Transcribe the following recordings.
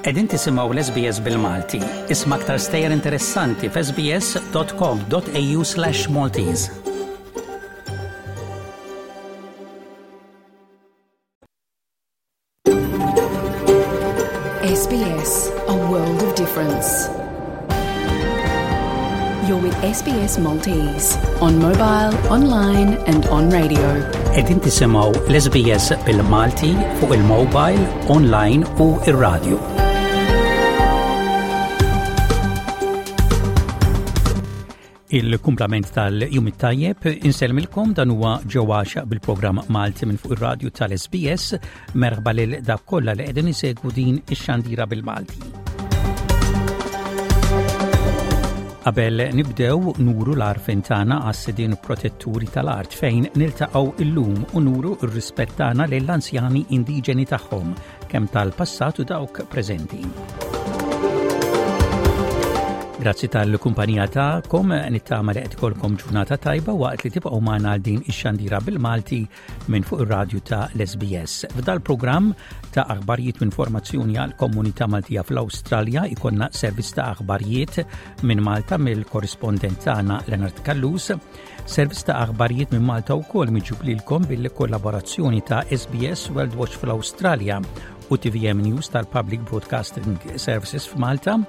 Qegħdin tisimgħu l-SBS bil-Malti. Isma' aktar stejjer interessanti f'sbs.com.au/Maltese. SBS, a world of difference. You're with SBS Maltese on mobile, online and on radio. Qegħdin tisimgħu l-SBS bil-Malti fuq il-mobile, online u ir-radio. Il-kumplament tal-jum it-tajjeb insellmilkom dan huwa ġewwa bil-programm Malti minn fuq ir-radju tal-SBS merħba lil dak kollha li qegħdin isegwu din ix-xandira bil-Malti. Qabel nibdew nuru l-arfin tagħna għas-sidien protetturi tal-art fejn niltaqgħu illum u nuru r-rispett tagħna lill-anzjani indiġeni tagħhom kemm tal-passat u dawk preżenti. Grazzi tal-kumpanija tagħkom, nittama li qed ikollkom ġurnata tajba waqt li tibqgħu magħna għal din ix-xandira bil-Malti minn fuq ir-radju ta' l-SBS. F'dal programm ta' aħbarijiet minn formazzjoni għal komunità Maltija fl-Awstralja ikonna servizz ta' aħbarijiet minn Malta mill-korrispondent tagħna Leonard Callus, Servizz ta' aħbarijiet minn Malta wkoll miġjub lilkom bil-kollaborazzjoni ta' SBS World Watch fl-Awstralja u TVM News tal-Public Broadcasting Services f'Malta.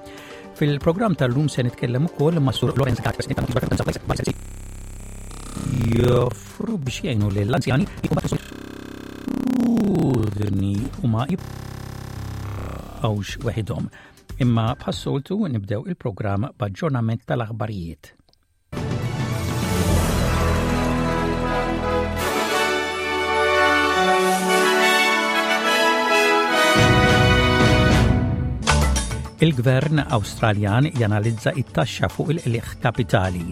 Fil-programm tal-lum se nitkellem ukoll ma' Sur Lorenz Gatt, President tal joffru biex jgħinu lill-anzjani u ma jibqgħux weħidhom. Imma bħas-soltu nibdew il-programm b'aġġornament tal-aħbarijiet. Il-Gvern Awstraljan janalizza it-taxxa fuq il-qligħ kapitali.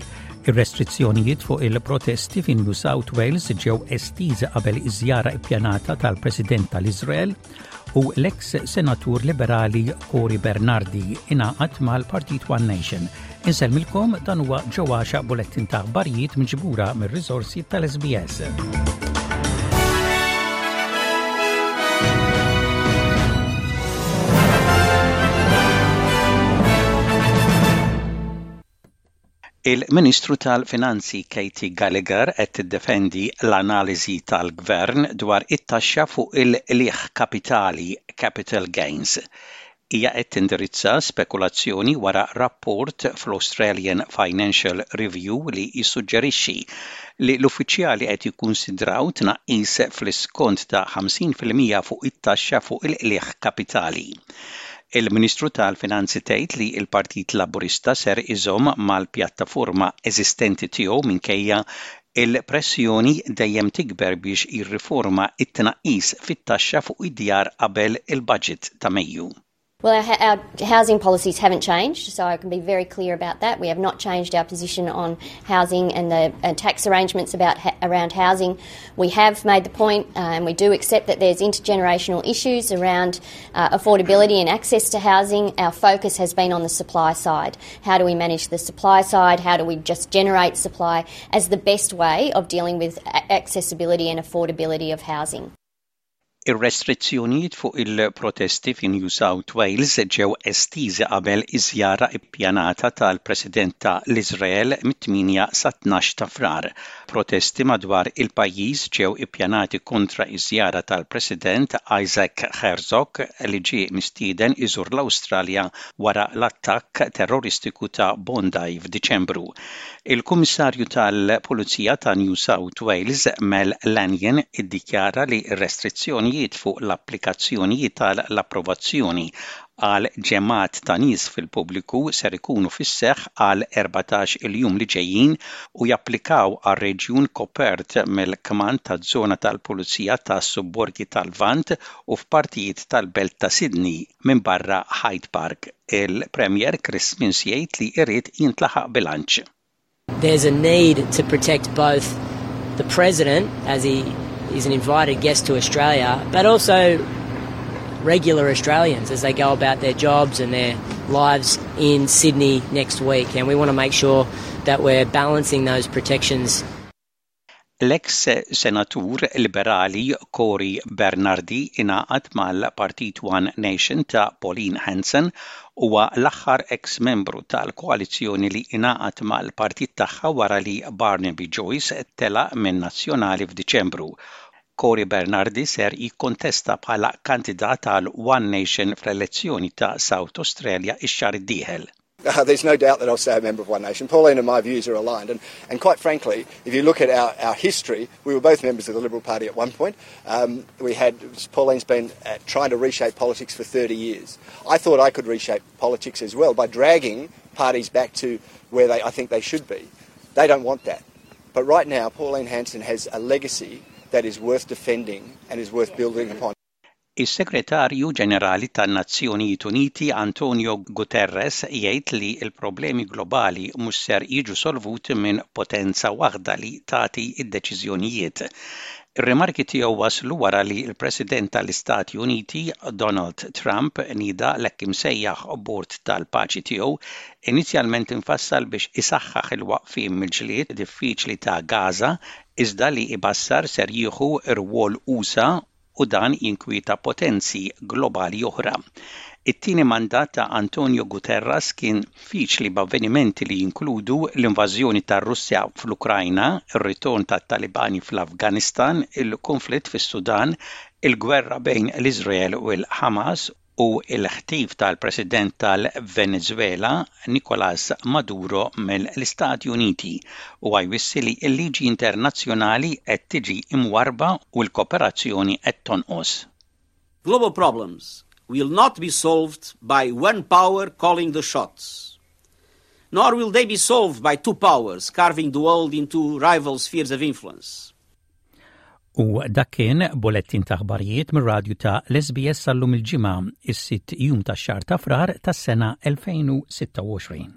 Ir-restrizzjonijiet fuq il-protesti fi New South Wales ġew estiżi qabel iż-żjara ippjanata tal-President tal-Iżrael u l-eks senatur liberali Cory Bernardi ingħaqad mal-Partit One Nation. Insellmilkom dan huwa ġewwaxa bulettin ta' aħbarijiet miġbura mir-riżorsi tal-SBS. Il-Ministru tal-Finanzi Katie Gallagher qed tiddefendi l-analiżi tal-Gvern dwar it-taxxa fuq il-qligħ kapitali, capital gains. Hija qed tindirizza spekulazzjoni wara rapport fl-Australian Financial Review li jissuġġerixxi li l-uffiċjali qed jikkunsidraw tnaqqis fl-iskont ta' 50% fuq it-taxxa fuq il-qligħ kapitali. Il-Ministru tal-Finanzi tgħid li l-Partit Laburista ser iżomm mal-pjattaforma eżistenti tiegħu minkejja l-pressjoni dejjem tikber biex jirriforma t-tnaqqis fit-taxxa fuq id-djar qabel il-Budget ta' Mejju. Well, our, our housing policies haven't changed, so I can be very clear about that. We have not changed our position on housing and the uh, tax arrangements about ha- around housing. We have made the point, uh, and we do accept that there's intergenerational issues around uh, affordability and access to housing. Our focus has been on the supply side. How do we manage the supply side? How do we just generate supply as the best way of dealing with accessibility and affordability of housing? Ir-restrizzjonijiet fuq il-protesti fi New South Wales ġew estiżi qabel iż-żjara ppjanata tal-President ta' l-Iżrael mit-8 sat-12 ta' Frar. Protesti madwar il-pajjiż ġew ippjanati kontra ż-żjara tal-President Isaac Herzog li ġie mistieden iżur l-Awstralja wara l-attakk terroristiku ta' Bondi f'Diċembru. Il-Kummissarju tal-Pulizija ta' New South Wales, Mel Lanyon, iddikjara li r-restrizzjonijiet fuq l-applikazzjonijiet tal-approvazzjoni għal ġemgħat ta' nies fil-pubbliku ser ikunu fis-seħħ għal 14 il-jum li ġejjin u japplikaw għar-reġjun kopert mill-kmand taż-żona tal-pulizija tas-subborgi tal-Lvant u f'partijiet tal-belt ta' Sydney minbarra Hyde Park. Il-Premier Chris Minns jgħid li jrid jintlaħaq bilanċ. There's a need to protect both the President as he is an invited guest to Australia, but also regular Australians as they go about their jobs and their lives in Sydney next week. And we want to make sure that we're balancing those protections. L-eks Senatur Liberali Cory Bernardi ingħaqad mal-Partit One Nation ta' Pauline Hanson huwa l-aħħar eks membru tal-koalizzjoni li ingħaqad mal-partit tagħha wara li Barnaby Joyce telaq min-Nazzjonali f'Diċembru. Cory Bernardi ser jikkontesta bħala kandidat għal One Nation fl-elezzjoni ta' South Australia x-xahar id-dieħel. Uh, there's no doubt that I'll stay a member of One Nation. Pauline and my views are aligned. And, and quite frankly, if you look at our, our history, we were both members of the Liberal Party at one point. Um, we had Pauline's been uh, trying to reshape politics for 30 years. I thought I could reshape politics as well by dragging parties back to where they, I think they should be. They don't want that. But right now, Pauline Hanson has a legacy that is worth defending and is worth building upon. Is-Segretarju Ġenerali tan-Nazzjonijiet Uniti Antonio Guterres jgħid li l-problemi globali mhux ser jiġu solvuti minn potenza waħda li tagħti d-deċiżjonijiet. Ir-rimarki tiegħu waslu wara li l-President tal-Istati Uniti Donald Trump nieda l-hekk imsejjaħ Bord tal-Paċi tiegħu inizjalment imfassal biex isaħħaħ il-waqfien mill-ġlied diffiċli ta' Gaza iżda li ibassar ser jieħu rwol usa' u dan jinkwieta potenzi globali oħra. It-tieni mandat ta' Antonio Guterres kien diffiċli b'avvenimenti li jinkludu l-invażjoni tar-Russja fl-Ukrajna, ir-ritorn tat-Talibani fl-Afganistan, il-kunflitt fis-Sudan, il-gwerra bejn l-Iżrael u l-Ħamas u l-ħtif tal-President tal-Venezwela, Nicolas Maduro mill-Istati Uniti. Huwa jwissi li l-liġi internazzjonali qed tiġi imwarrba u l-koperazzjoni qed tonqos. Global problems will not be solved by one power calling the shots. Nor will they be solved by two powers carving the world into rival spheres of influence. U dak kien bulettin ta' aħbarijiet mir-radju ta' l-SBS sal-lum il-Ġimgħa, is-sitt jum tax-xahar ta' Frar tas-sena 2026.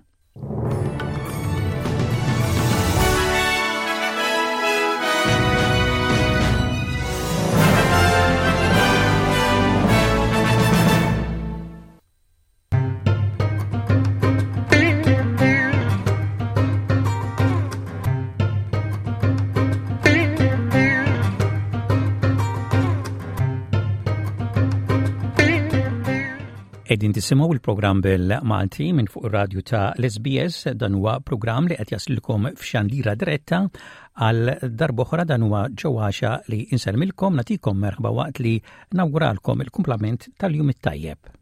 Qegħdin tisimgħu il-programm bil-Malti minn fuq ir-radju ta' l-SBS dan huwa programm li qed jaslilkom f'xandira diretta għal darb'oħra dan huwa ġewwaxa li insellmilkom nagħtikom merħba waqt li Nawguralkom il-kumplament tal-jum it-tajjeb.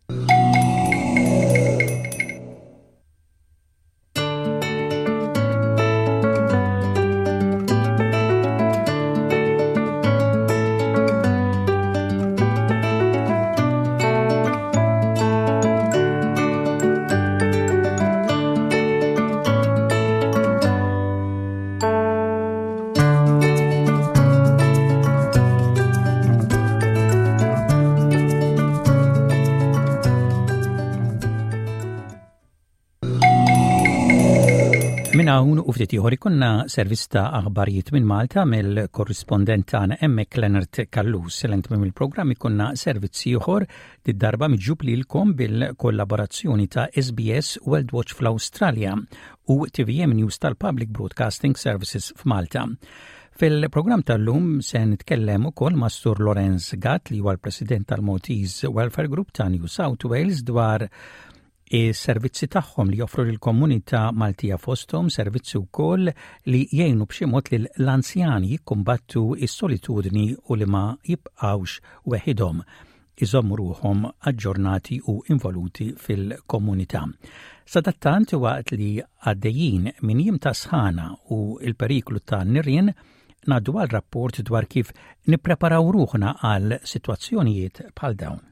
Minn hawn u ftit ieħor ikunna servizz ta' aħbarijiet minn Malta mill-korrispondent tagħna hemmhekk Leonard Callus. Lent minn il-programm ikunna servizz ieħor Did-darba miġjub lilkom bil-kollaborazzjoni ta' SBS World Watch fl-Awstralja u TVM News tal-Public Broadcasting Services f'Malta. Fil-programm tal-lum se nitkellem ukoll ma' Sur Lorenz Gatt li huwa l-President tal-Maltese Welfare Group ta' New South Wales dwar is-servizzi tagħhom li joffru lill-komunità Maltija fosthom servizzi wkoll li jgħinu b'xi mod lil l-anzjani jikkumbattu s-solitudni u li ma jibqgħux weħidhom iżommu ruħhom aġġornati u involuti fil-komunità. Sadattant waqt li għaddejjin minn jiem ta' sħana u l-periklu ta' nirien, ngħaddu għal rapport dwar kif nippreparaw ruħna għal sitwazzjonijiet bħal dawn.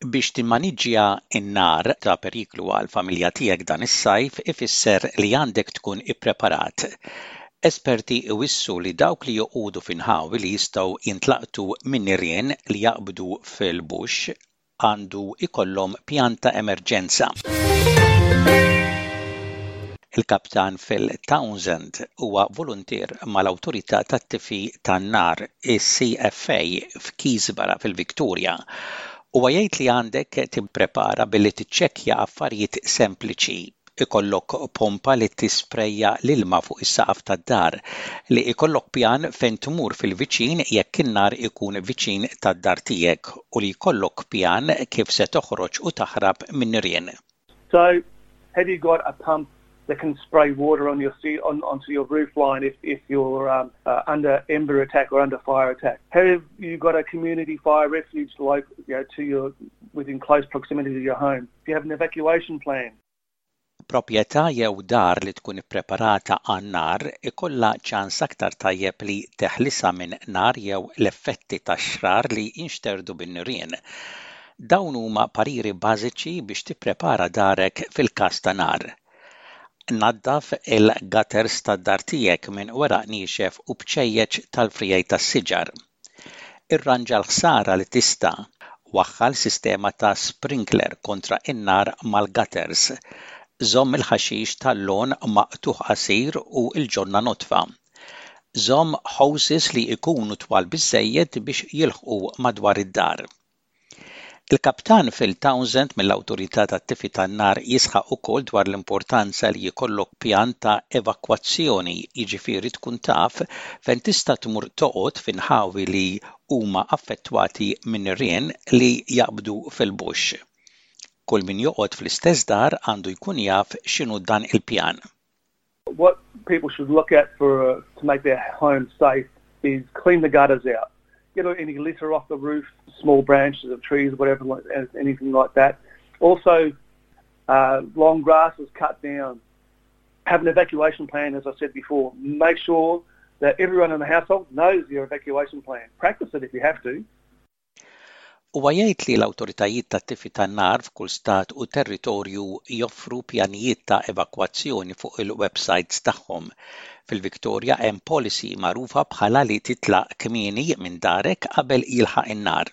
Biex timmaniġġja n-nar ta' periklu għall-familja tiegħek dan is-sajf ifisser li għandek tkun ippreparat. Esperti iwissu li dawk li joqogħdu fi nħawi li jistgħu jintlaqtu minn nirien li jaqbdu fil-bush għandu jkollhom pjan ta' emerġenza. Il-Kaptan Phil Townsend huwa voluntier mal-Awtorità tat-Tifi tan-Nar, is-CFA, f'Keysborough fil-Victoria. Huwa jgħid li għandek tipprepara billi tiċċekkja affarijiet sempliċi, ikollok pompa li tisprejja l-ilma fuq is-saqaf tad-dar, li jkollok pjan fejn tmur fil-viċin jekk in-nar ikun viċin tad-dar tiegħek u li jkollok pjan kif se toħroġ u taħrab min-nirien. So, have you got a pump that can spray water on your on, onto your roof line if, if you're um, uh, under ember attack or under fire attack? Have you got a community fire refuge like, you know, to your within close proximity to your home? Do you have an evacuation plan? Proprjetà jew dar li tkun ippreparata għan-nar ikollha ċans aktar tajjeb li teħlisha minn nar jew l-effetti tax-xrar li jinxterdu bin-nirien. Dawn huma pariri bażiċi biex tipprepara darek fil-każ ta' nar. Naddaf il-gutters tad-dar tiegħek minn weraq niexef u bċejjeċ tal-friegħi tas-siġar. Irranġa l-ħsara li tista'. Waħħal sistema ta' sprinkler kontra n-nar mal-gutters. Żomm il-ħaxix tal-lawn maqtugħ qasir u l-ġonna nodfa. Żomm hoses li jkunu twal biżżejjed biex jilħqu madwar id-dar. Il-Kaptan Phil Townsend mill-Awtorità tat-Tifi tan-Nar jisħaq ukoll dwar l-importanza li jkollok pjan ta' evakwazzjoni, jiġifieri tkun taf fejn tista' tmur toqgħod fi nħawi li huma affettwati minn nirien li jaqbdu fil-bush. Kull min joqgħod fl-istess dar għandu jkun jaf x'inhu dan il-pjan. What people should look at for uh, to make their home safe is clean the gutters out. Get any litter off the roof, small branches of trees, whatever, anything like that. Also, uh, long grass is cut down. Have an evacuation plan, as I said before. Make sure that everyone in the household knows your evacuation plan. Practice it if you have to. Huwa jgħid li l-awtoritajiet tat-tifi tan-nar f'kull stat u territorju joffru pjanijiet ta' evakwazzjoni fuq il-websajts tagħhom. Fil-Victoria hemm policy magħrufa bħala li titlaq kmieni minn darek qabel jilħaq in-nar.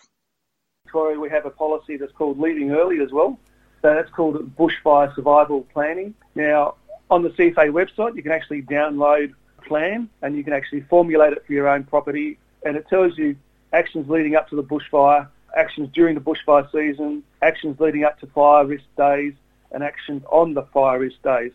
Victoria we have a policy that's called leaving early as well. So that's called bushfire survival planning. Now, on the CFA website, you can actually download a plan and you can actually formulate it for your own property and it tells you actions leading up to the bushfire, actions during the bushfire season, actions leading up to fire risk days, and actions on the fire risk days.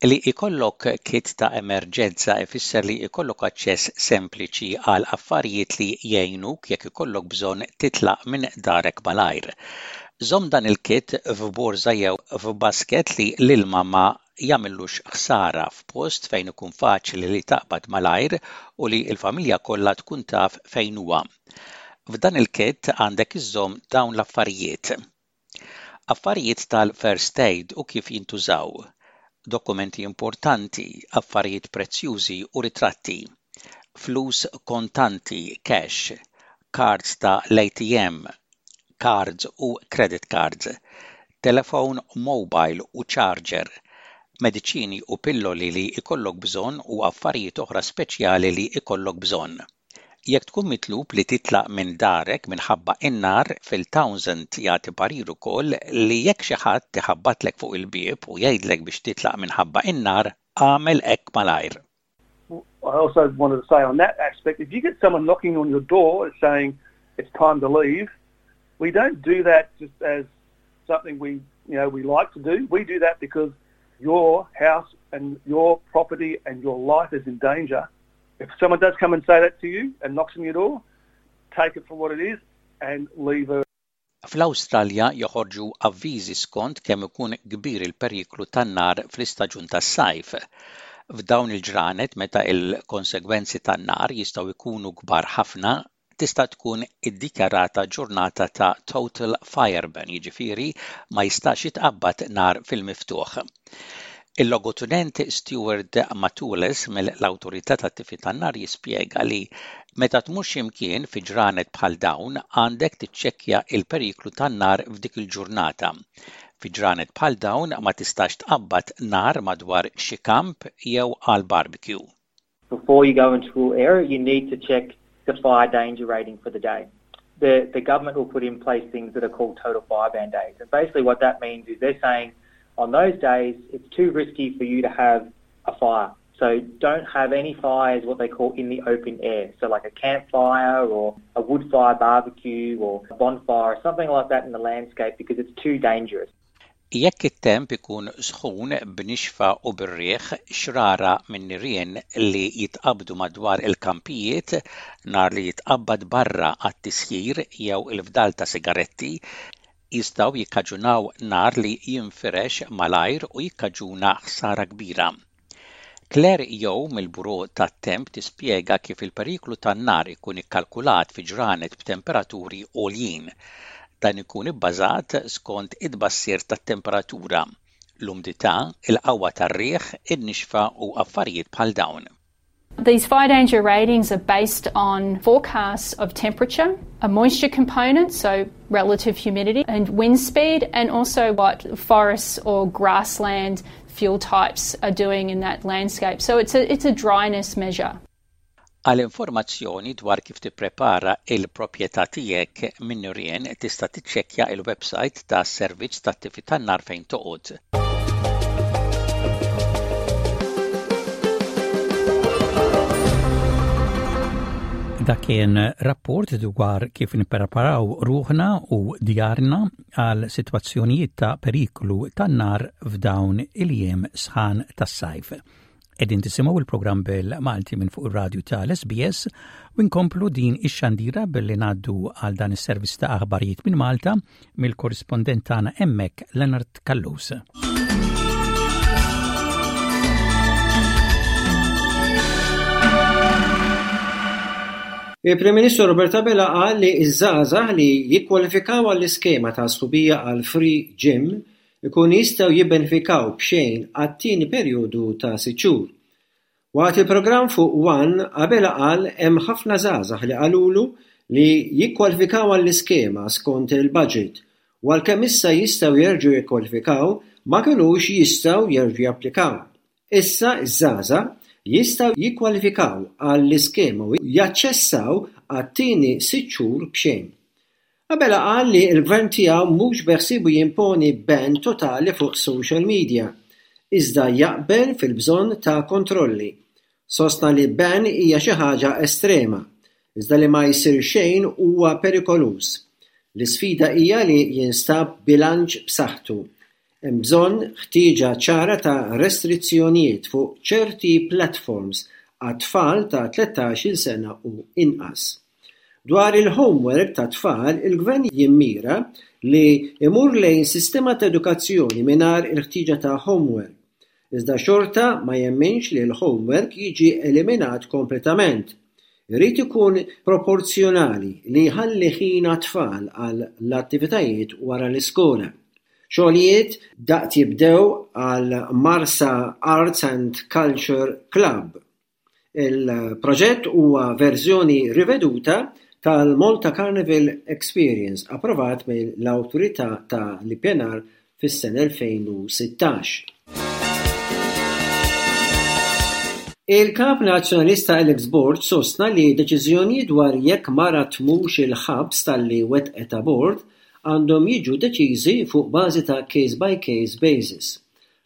Li jkollok kit ta' emerġenza ifisser li jkollok aċċess sempliċi għal affarijiet li jgħinuk jekk ikollok bżonn titlaq minn darek malajr. Żomm dan il-kit f'borża jew f'basket li l-ilma ma jagħmillux ħsara, f'post fejn ikun faċli li taqbad malajr u li l-familja kollha tkun taf fejn huwa. F'dan il-kit għandek iżżomm dawn l-affarijiet. Affarijiet tal-first aid u kif jintużaw. Dokumenti importanti, affarijiet prezzjużi u ritratti. Flus kontanti, cash, cards ta' l-ATM, cards u credit cards, telefown mobile u charger, mediċini u pilloli li jkollok bżonn u affarijiet oħra speċjali li jkollok bżonn. Jekk tkun mitlub li titlaq minn darek minħabba n-nar, Phil Townsend jagħti parir ukoll li jekk xi ħadd iħabbatlek fuq il-bieb u jgħidlek biex titlaq minħabba n-nar, agħmel hekk malajr. I also wanted to say on that aspect, if you get someone knocking on your door saying it's time to leave, we don't do that just as something we you know we like to do. We do that because your house and your property and your life is in danger. If someone does come and say that to you and knocks on your door, take it for what it is and leave her. Fl-Awstralja joħorġu avviżi skont kemm ikun kbir il-periklu tan-nar fl-istaġun tas-sajf. F'dawn il-ġranet meta l-konsegwenzi tan-nar jistgħu jkunu kbar ħafna, tista' tkun iddikjarata ġurnata ta' total fire ban, jiġifieri ma jistax jitqabbad nar fil-miftuħ. Il-Logotenent Steward Matulis mill-Awtorità tat-Tifi tan-Nar jispjega li meta tmur xi mkien fi ġranet bħal dawn għandek tiċċekkja l-periklu tan-nar f'dik il-ġurnata. Fi ġranet bħal dawn ma tistax tqabbad nar madwar xi kamp jew għal barbecue. Before you go into an area, you need to check the fire danger rating for the day. The, the government will put in place things that are called total fire ban days. And basically what that means is they're saying on those days, it's too risky for you to have a fire. So don't have any fires, what they call in the open air. So like a campfire or a wood fire barbecue or a bonfire or something like that in the landscape because it's too dangerous. Jekk it-temp ikun sħun b'nixfa u bir-riħ, xrara minn nirien li jitqabbdu madwar il-kampijiet, nar li jitqabbad barra għat-tisjir jew il-fdal ta' sigaretti, jistgħu jikkaġunaw nar li jinfirex malajr u jikkaġuna ħsara kbira. Claire Yeo mill-Bureau tat-Temp tispjega kif il-periklu tan-nar ikun ikkalkulat fi ġranet b'temperaturi għoljin. Dan ikun ibbażat skont it-tbassir tat-temperatura, l-umdità, il-qawwa tar-riħ, in-nixfa u affarijiet bħal dawn. These fire danger ratings are based on forecasts of temperature, a moisture component, so relative humidity, and wind speed, and also what forests or grassland fuel types are doing in that landscape. So it's a, it's a dryness measure. Għal informazzjoni dwar kif tipprepara il-proprjetà tiegħek minn nirien tista' tiċċekkja il-websajt tas-Servizz tat-Tifi tan-Nar fejn toqgħod. Dak kien rapport dwar kif nippreparaw ruħna u djarna għal sitwazzjonijiet ta' periklu tan-nar f'dawn il-jiem sħan tas-sajf. Qegħdin tisimgħu il-programm bil-Malti minn fuq ir-radju tal-SBS u nkomplu din ix-xandira billi ngħaddu għal dan is-servizz ta' aħbarijiet minn Malta mill-korrispondent tagħna hemmhekk Leonard Callus. Il-Prim Ministru Robert Abela qal li ż-żgħażagħ li jikkwalifikaw għall-iskema ta' sħubija għal Free Gym ikunu jistgħu jibbenefikaw b'xejn għat-tieni perjodu ta' sitt xhur. Waqt il-programm fuq one, Abela qal hemm ħafna żgħażagħ li qalulu li jikkwalifikaw għall-iskema skont il-budget u għalkemm issa jistgħu jerġgħu jikkwalifikaw ma kinux jistgħu jerġgħu japplikaw. Issa ż-żgħażagħ jistgħu jikkwalifikaw għall-iskema u jaċċessaw għat-tieni sitt xhur b'xejn. Abela qal li l-Gvern tiegħu mhux beħsiebu jimponi ban totali fuq social media, iżda jaqbel fil-bżonn ta' kontrolli. Sostna li ban hija xi ħaġa estrema, iżda li ma jsir xejn huwa perikoluż. L-isfida hija li jinstab bilanċ b'saħħtu. Hemm bżonn ħtieġa ċara ta' restrizzjonijiet fuq ċerti platforms għat-tfal ta' 13-il sena u inqas. Dwar il-homework tat-tfal, il-Gvern jimmira li jmur lejn sistema ta' edukazzjoni mingħajr il-ħtieġa ta' homework. Iżda xorta ma jemminx li l-homework jiġi eliminat kompletament. Irid ikun proporzjonali li jħalli ħin għat-tfal għal l-attivitajiet wara l-iskola. Xogħlijiet daqt jibdew għal Marsa Arts and Culture Club. Il-proġett huwa verżjoni riveduta tal-Malta Carnival Experience approvat mill-Awtorità ta' l-Ippjanar fis-sena 2016. Il-Kap Nazzjonalista Alex Borg sostna li deċiżjonijiet dwar jekk mara tmurx il-ħabs talli wettqet abort għandhom jiġu deċiżi fuq bażi ta' case by case basis.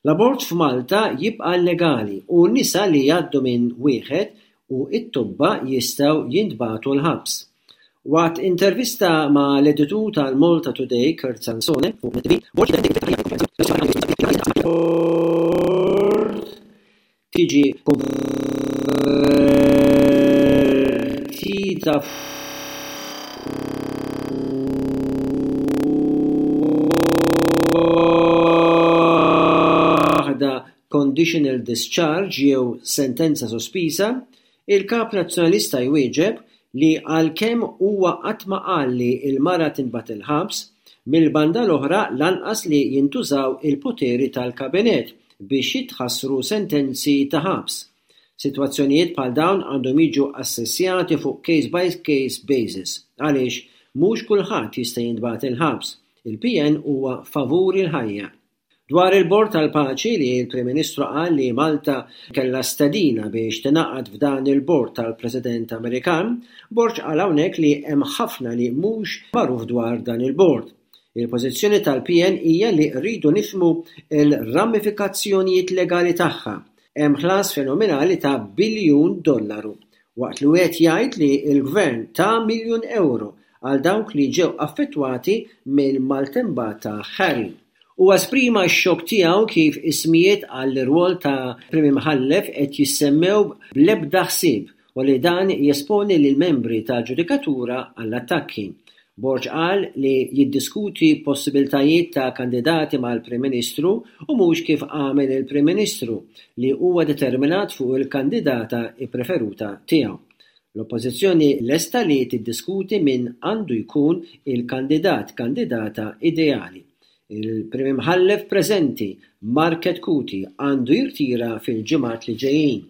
L-abort f'Malta jibqa' illegali u nisa li jgħaddu minn wieħed u t-tobba jistgħu jintbagħtu l-ħabs. Waqt intervista ma' l-editur tal-Malta Today Kurt Sansone fuq Net TV, Borg tiġi konvertita f'waħda conditional discharge jew sentenza sospiża, il-Kap Nazzjonalista jwieġeb li għalkemm huwa qatt ma qal li l-mara tintbagħat il-ħabs, mill-banda l-oħra lanqas li jintużaw il-poteri tal-Kabinett biex jitħassru sentenzi ta' ħabs. Sitwazzjonijiet bħal dawn għandhom jiġu assessjati fuq case by case basis għaliex mhux kulħadd jista' jintbagħat il-ħabs. Il-PN huwa favur il-ħajja. Dwar il-Bord tal-Paċi li l-Prim Ministru qal li Malta kellha stedina biex tingħaqad f'dan il-bord tal-President Amerikan, Borg qal hawnhekk li hemm ħafna li mhux magħruf dwar dan il-bord. Il-pożizzjoni tal-PN hija li rridu nifhmu l-ramifikazzjonijiet legali tagħha. Hemm ħlas fenomenali ta' biljun dollaru, waqt li wieħed jgħid li l-Gvern ta miljun ewro għal dawk li ġew affettwati mill-maltembata Harry. Huwa esprima x-xokk tiegħu kif ismijiet għall-irwol ta' Prim Imħallef qed jissemmew bl-ebda ħsieb u li dan jesponi lill-membri tal-ġudikatura għall-attakki. Borg qal li jiddiskuti possibiltajiet ta' kandidati mal-Prim Ministru u mhux kif għamel il-Prim Ministru li huwa determinat fuq il-kandidata ppreferuta tiegħu. L-Oppożizzjoni lesta li tiddiskuti min għandu jkun il-kandidat kandidata ideali. Il-Prim Imħallef preżenti, Mark Chetcuti, għandu jirtira fil-ġimgħat li ġejjin.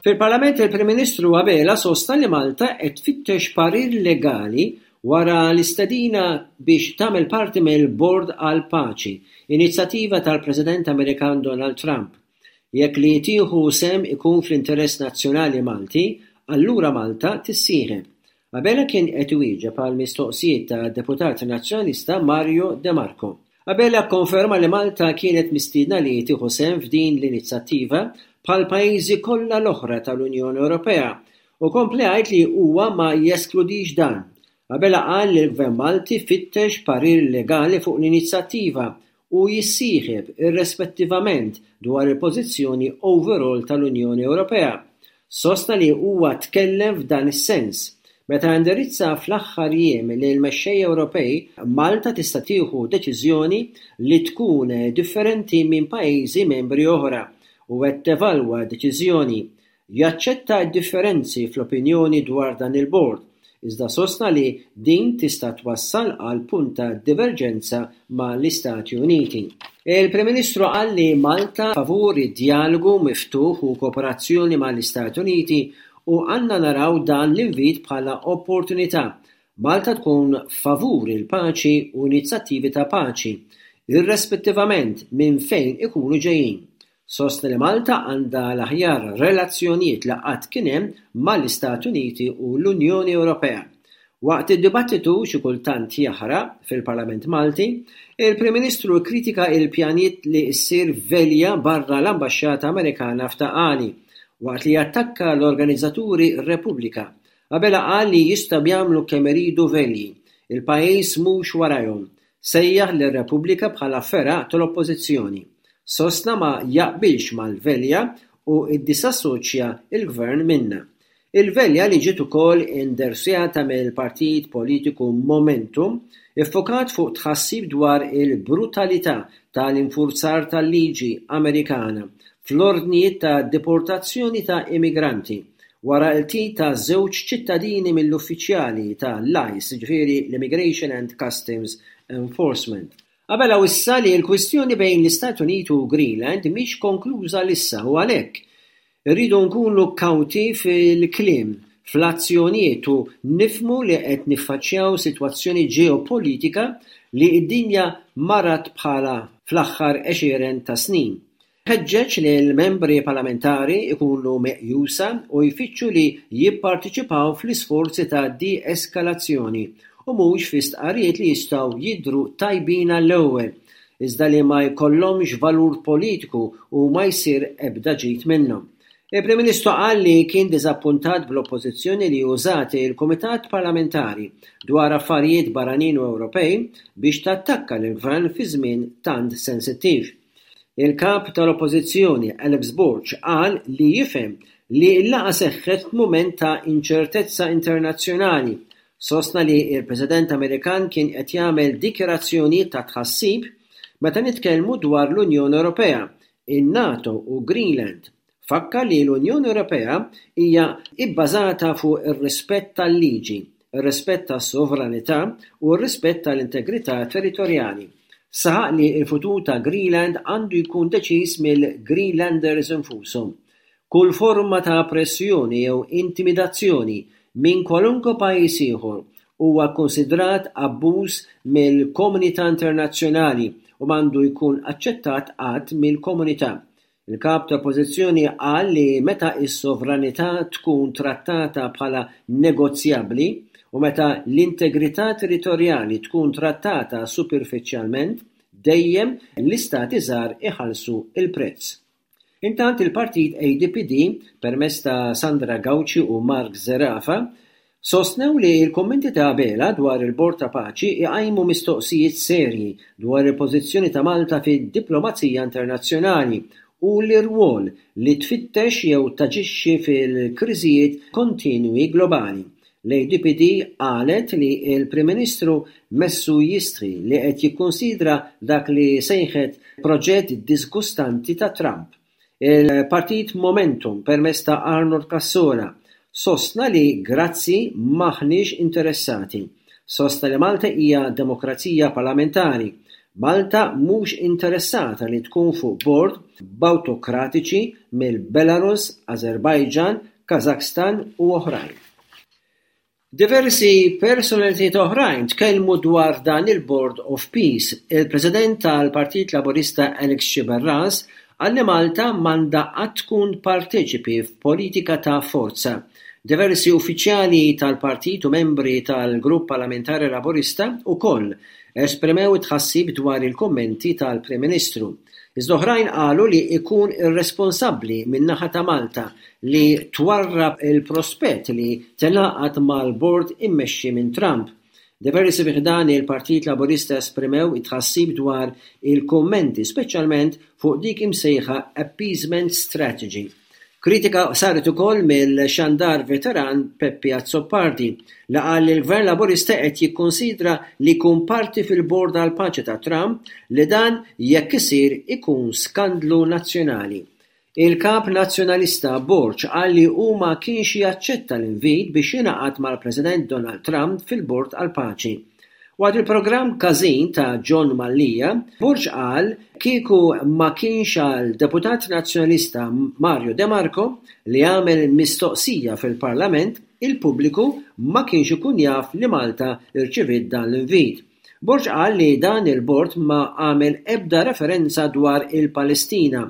Fil-Parlament il-Prim Ministru Abela sostna li Malta qed tfittex parir legali wara l-istedina biex tagħmel parti mill-Bord għall-Paċi, inizjattiva tal-President Amerikan Donald Trump. Jekk li tieħu sehem ikun fl-interess nazzjonali Malti, allura Malta tissieħeb. Abela kien qed iwieġeb għal mistoqsijiet tad-Deputat Nazzjonalista Mario De Marco. Abela kkonferma li Malta kienet mistiedna li tieħu sehem f'din l-inizjattiva bħall-pajjiżi kollha l-oħra tal-Unjoni Ewropea u kompla jgħid li huwa ma jeskludix dan. Abela qal li l-Gvern Malti fittex parir legali fuq l-inizjattiva u jissieħeb irrespettivament dwar il-pożizzjoni overall tal-Unjoni Ewropea. Sostna li huwa tkellem f'dan is-sens. Meta indirizza fl-aħħar jiem lill-mexxejja Ewropej, Malta tista' tieħu deċiżjoni li tkun differenti minn pajjiżi membri oħra u qed tevalwa deċiżjoni Jaċċetta d-differenzi fl-opinjoni dwar dan il-bord, iżda sostna li din tista' twassal għal punt ta' diverġenza ma' l-Istati Uniti. Il-Prim Ministru qal li Malta favur id-djalogu miftuħ u kooperazzjoni ma' l-Istati Uniti u għandna naraw dan l-invit bħala opportunità. Malta tkun favur il-paċi u inizjattivi ta' paċi, irrespettivament minn fejn ikunu ġejjin. Sostna li Malta għandha l-aħjar relazzjonijiet li qatt kien hemm mal-Istati Uniti u l-Unjoni Ewropea. Waqt id-dibattitu xi kultant jaħraq fil-Parlament Malti, il-Prim Ministru kkritika il-pjanijiet li ssir velja barra l-Ambaxxata Amerikana f'Ta' Qali, waqt li attakka l-organizzaturi Repubblika. Abela qal li jistgħu jagħmlu kemm iridu velji, il-pajjiż mhux warajhom. Sejjaħ lir-Repubblika bħala fergħa tal-Oppożizzjoni. Sostna ma jaqbilx mal-velja u ddisassoċja l-Gvern minnha. Il-velja li ġiet ukoll indersjata mill-partit politiku Momentum iffokat fuq tħassib dwar il-brutalità tal-infurzar tal-liġi Amerikana fl-ordnijiet ta' deportazzjoni ta' immigranti wara l-qtil ta' żewġ ċittadini mill-uffiċjali ta' l-ICE, jiġifieri l-Immigration and Customs Enforcement. Abela wissa li l-kwistjoni bejn l-Istati Uniti u Greenland mhix konkluża l'issa u għalhekk irridu nkunu kawti fil-kliem, fl-azzjonijiet u nifhmu li qed niffaċċjaw sitwazzjoni ġeopolitika li d-dinja ma rat bħalha fl-aħħar għexieren ta' snin. Ħeġġeġ lill-membri parlamentari jkunu meqjusa u jfittxu li jipparteċipaw fl-isforzi ta' de-eskalazzjoni u mhux fi stqarrijiet li jistgħu jidhru tajbin għall-ewwel, iżda li ma jkollhomx valur politiku u ma jsir ebda ġid minnhom. Il-Prim Ministru qal li kien diżappuntat bl-Oppożizzjoni li użat il-Kumitat Parlamentari dwar Affarijiet Barranin u Ewropej biex tattakka lill-Gvern fi żmien tant sensittiv. Il-Kap tal-Oppożizzjoni Alex Borg qal li jifhem li l-laqgħa seħħet f'mument ta' inċertezza internazzjonali. Sostna li l-President Amerikan kien qed jagħmel dikjarazzjonijiet ta' tħassib meta nitkellmu dwar l-Unjoni Ewropea, in-NATO u Greenland. Fakkar li l-Unjoni Ewropea hija bbażata fuq ir-rispett tal-liġi, ir-rispett tas-sovranità u r-rispett tal-integrità territorjali. Saħaq li l-futur ta' Greenland għandu jkun deċiż mill-Greenlanders infushom. Kull forma ta' pressjoni jew intimidazzjoni minn kwalunkwe pajjiż ieħor huwa kkunsidrat abbuż mill-komunità internazzjonali u m'għandu jkun aċċettat qatt mill-komunità. Il-Kap tal-Oppożizzjoni qal li meta s-sovranità tkun trattata bħala negozjabbli u meta l-integrità territorjali tkun trattata superfiċjalment, dejjem l-istati żgħar iħallsu l-prezz. Intant il-partit ADPD, permezz ta' Sandra Gauci u Mark Zerafa, sostnew li l-kummenti ta' Abela dwar il-Bord ta' Paċi iqajmu mistoqsijiet serji dwar il-pożizzjoni ta' Malta fid-diplomazija internazzjonali u l-irwol li tfittex jew taġixxi fil-kriżijiet kontinwi globali. L-ADPD qalet li l-Prim Ministru messu jistħi li qed jikkunsidra dak li sejħet proġett diżgustanti ta' Trump. Il-Partit Momentum permezz ta' Arnold Cassola sostna li grazzi m'aħniex interessati. Sostna li Malta hija demokrazija parlamentari. Malta mhux interessata li tkun fuq bord b'awtokratiċi mill-Belarus, Azerbaijan, Kazakhstan u oħrajn. Diversi personalitajiet oħrajn tkellmu dwar dan il-Board of Peace. Il-President tal-Partit Laburista Alex Sciberras qal li Malta m'għandha qatt tkun parteċipi f'politika ta' forza. Diversi uffiċjali tal-partit u membri tal-Grupp Parlamentari Laburista wkoll esprimew it-tħassib dwar il-kummenti tal-Prim Ministru. Iżda oħrajn qalu li ikun irresponsabbli min-naħa ta' Malta li twarrab il-prospett li tingħaqad mal-bord immexxi minn Trump. Diversi fi ħdan il-Partit Laburista esprimew it-tħassib dwar il-kummenti, speċjalment fuq dik imsejħa appeasement strategy. Kritika saret ukoll mill-xandar veteran Peppi Azzopardi li qal li l-Gvern Laburista qed jikkunsidra li jkun parti fil-Bord għall-Paċi ta' Trump li dan jekk isir ikun skandlu nazzjonali. Il-Kap Nazzjonalista Borg qal li hu ma kienx jaċċetta l-invit biex jingħaqad mal-President Donald Trump fil-Bord għall-Paċi. Waqt il-programm Każin ta' John Mallia, Borg qal kieku ma kienx għal Deputat Nazzjonalista Mario De Marco li għamel mistoqsija fil-Parlament, il-pubbliku ma kienx ikun jaf li Malta rċiviet dan l-invit. Borg qal li dan il-bord ma għamel ebda referenza dwar il-Palestina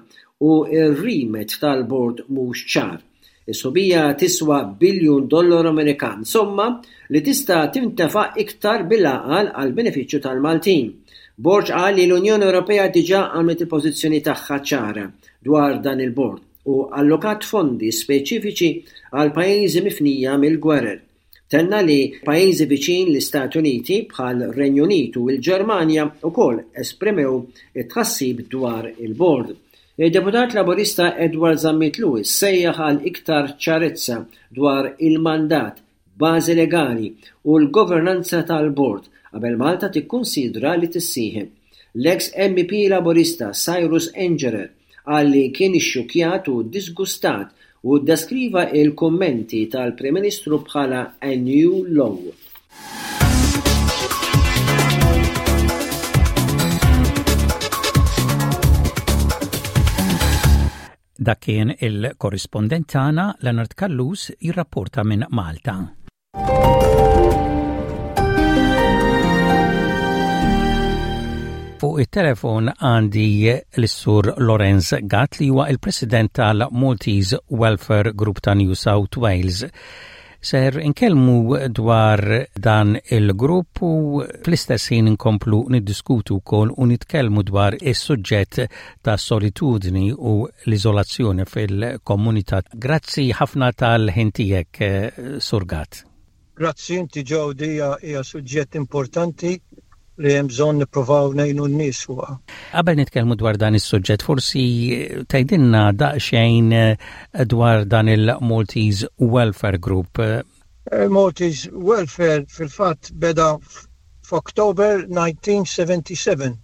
u r-remit tal-bord mhux ċar. Is-sħubija tiswa biljun dollaru Amerikan, somma li tista' tintefaq iktar bil-għaqal għall-benefiċċju tal-Maltin. Borg qal li l-Unjoni Ewropea diġà għamlet il-pożizzjoni tagħha ċara dwar dan il-bord u allokat fondi speċifiċi għal pajjiżi mifnija mill-gwerer. Tenna li pajjiżi viċin l-Istati Uniti bħal Renju Unit u l-Ġermanja wkoll esprimew it-tħassib dwar il-bord. Id-Deputat Laburista Edward Zammit Lewis sejjaħ għal iktar ċarezza dwar il-mandat, bażi legali u l-governanza tal-bord qabel Malta tikkunsidra li tissieħeb. L-eks MEP Laburista Cyrus Engerer Qal li kien ixxukkjat u ddiżgustat u ddeskriva l-kummenti tal-Prim Ministru bħala a new low. Dak kien il-korrispondent tagħna Leonard Callus jirrapporta minn Malta. Fuq it-telefon għandi l-Sur Lorenz Gatt li huwa il-President tal-Maltese Welfare Group ta' New South Wales. Ser inkellmu dwar dan il-grupp u fl-istess ħin inkomplu niddiskutu wkoll u nitkellmu dwar is-suġġett ta' solitudni u l-iżolazzjoni fil-komunità. Grazzi ħafna tal-ħin tiegħek, eh, Sur Gatt. Grazzi inti Jody hija suġġett importanti li hemm bżonn nippruvaw ngħinu n-nies fuqha. Qabel nitkellmu dwar dan is-suġġett, forsi tgħidilna daqsxejn eh, dwar dan il-Maltese Welfare Group. Il-Maltese eh, Welfare fil-fatt beda f'October 1977.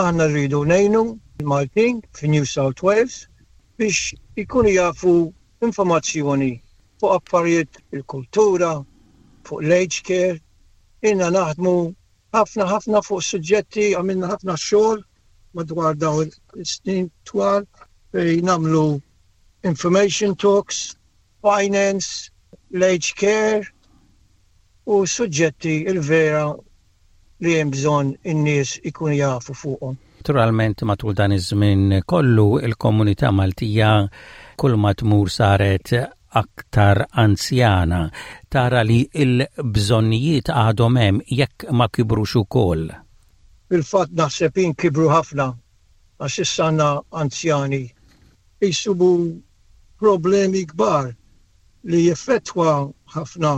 Aħna rridu ngħinu l-Maltin fi New South Wales biex ikunu jafu informazzjoni fuq affarijiet il-kultura, fuq l-aged care. Ilna naħdmu ħafna ħafna fuq suġġetti, għamilna ħafna xogħol madwar dawn is-snin twal fejn nagħmlu information talks, finance, l-aged care u suġġetti il-vera li hemm bżonn in-nies ikunu jafu fuqhom. Naturalment matul dan iż-żmien kollu il-komunità Maltija kull ma tmur saret aktar anzjana. Tara li l-bżonnijiet għadhom hemm jekk ma kibrux ukoll. Fil-fatt naħseb jien kibru ħafna għax issa għandna anzjani jsibu problemi kbar li jeffettwa ħafna